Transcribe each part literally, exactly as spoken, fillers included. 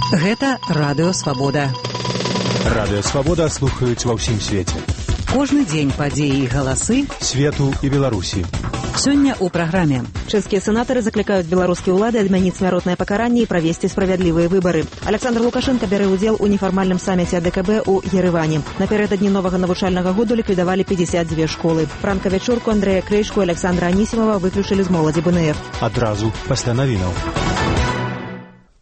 Гэта Радыё Свабода. Радыё Свабода слухаюць ва ўсім свеце. Кожны дзень падзеі і галасы свету і Беларусі. Сёння ў праграме. Чэшскія сенатары заклікаюць беларускія ўлады адмяніць смяротнае пакаранне і правесці справядлівыя выбары. Александр Лукашенко бярэ ўдзел у нефармальным саміце АДКБ у Ереване. Напярэдадні новага навучальнага году ліквідавалі пятьдесят две школы. Пранка-вячорку Андрэя Крэйшку і Александра Анісімова выключылі з моладзі БНФ. Адразу пасля навінаў.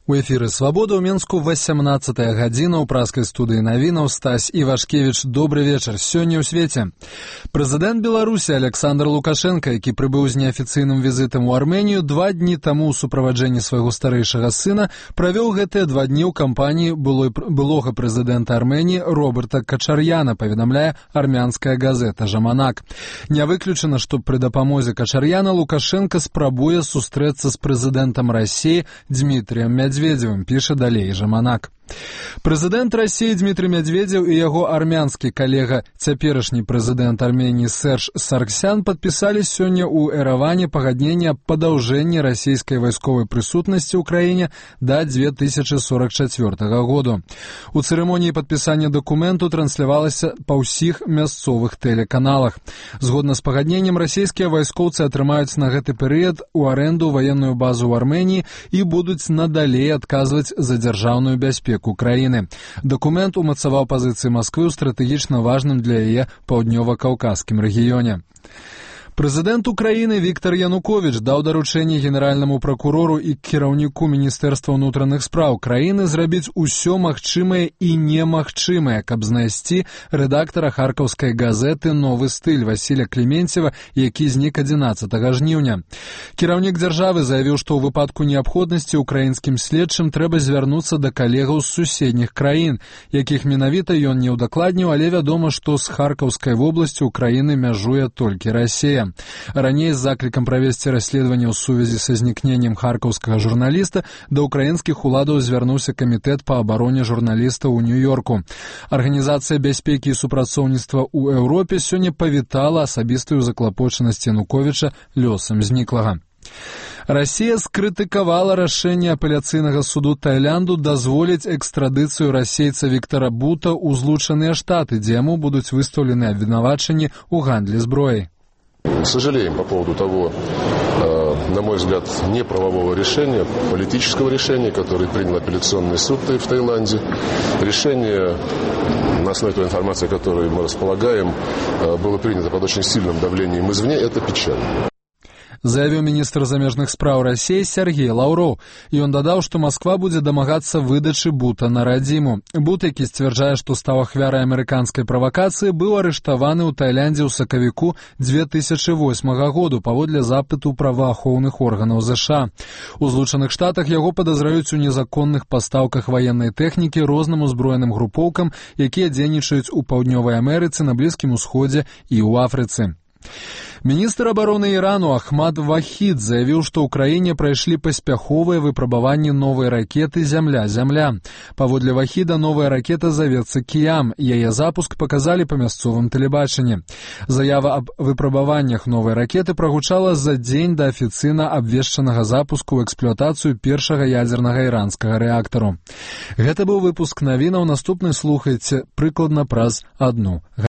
У эфіры «Свабода» ў Менску васямнаццатая гадзіна ў праскай студыі навінаў. Стась Івашкевіч, добры вечар. Сёння ў свеце. Прэзідэнт Беларусі Александр Лукашенко, які прыбыў з неафіцыйным візітам у Арменію, два дні таму ў суправаджэнні свайго старэйшага сына правёў гэтыя два дні ў кампаніі былога прэзідэнта Арменіі Роберта Качар'яна, паведамляе армянская газета «Жаманак». Не выключана, што пры дапамозе Качар'яна Лукашенко спрабуе сустрэцца з прэзідэнтам Расіі Дмітрыем Медведевым. Медведевым, піша далей Жаманак. Прэзідэнт Расіі Дмітрый Медведзеў і яго армянскі калега, цяперашні прэзідэнт Арменіі Серж Саргсян падпісалі сёння ў Эрэване пагадненне аб падаўжэнні расійскай вайсковай прысутнасці ў краіне да две тысячы сорок чацвёртага году. У цырымоніі падпісання дакументу транслявалася па ўсіх мясцовых тэлеканалах. Згодна з пагадненнем, расійскія вайскоўцы атрымаюць на гэты перыяд у арэнду ваенную базу ў Арменіі і будуць надалей адказваць за дзяржаўную бяспеку Украины. Документ умацаваў пазіцыі Масквы ў стратэгічна важным для яе паўднёва-каўказскім рэгіёне. Прэзідэнт Украіны Віктор Януковіч даў даручэнне генеральнаму пракурору і кіраўніку Міністэрства ўнутраных спраў краіны зрабіць усё магчымае і немагчымае, каб знайсці рэдактара харкаўскай газеты «Новы стыль» Васіля Клементьева, які знік адзінаццатага жніўня. Кіраўнік дзяржавы заявіў, што ў выпадку неабходнасці украінскім следчым трэба звярнуцца да калегаў з суседніх краін, якіх менавіта ён не ўдакладніў, але вядома, што з харкаўскай вобласцю Украіны мяжуе толькі Расія. Раней з заклікам правесці расследаванне ў сувязі са знікненнем харкаўскага журналіста да ўкраінскіх уладаў звярнуўся камітэт па абароне журналіста ў Нью-Йорку. Арганізацыя бяспекі і супрацоўніцтва ў Еўропе сёння павітала асабістую заклапочанасць Януковіча лёсам зніклага. Расія скрытыкавала рашэнне апеляцыйнага суду Таиланду дазволіць экстрадыцыю расейца Віктора Бута ў Злучаныя Штаты, дзе яму будуць выстаўлены абвінавачанні ў гандлі зброяй. Сожалеем по поводу того, на мой взгляд, неправового решения, политического решения, которое принял апелляционный суд в Таиланде. Решение, на основе той информации, которой мы располагаем, было принято под очень сильным давлением извне. Это печально. Заявіў міністр замежных спраў Расіі Сергей Лаўроў. Ён дадаў, што Масква будзе дамагацца выдачы Бута на радзіму. Бут, які сцвярджае, што стаў ахвярай амерыканскай правакацыі, быў арыштаваны ў Таиландзе ў сакавіку две тысячы восьмага году паводле запыту праваахоўных органаў ЗША. У Злучаных Штатах яго падазраюць у незаконных пастаўках ваеннай тэхнікі розным узброеным групоўкам, якія дзейнічаюць у Паўднёвай Амерыцы, на Блізкім Усходзе і ў Афрыцы. Міністр абароны Ірану Ахмад Вахід заявіў, што ў краіне прайшлі паспяховыя выпрабаванні новай ракеты «Зямля-Зямля». Паводле Вахіда, новая ракета завецца «Кіям». Яе запуск паказалі па мясцовым тэлебачанні. Заява аб выпрабаваннях новай ракеты прагучала за дзень да афіцыйна абвешчанага запуску ў эксплуатацыю першага ядзернага іранскага рэактару. Гэта быў выпуск навінаў. Наступны слухайце прыкладна праз адну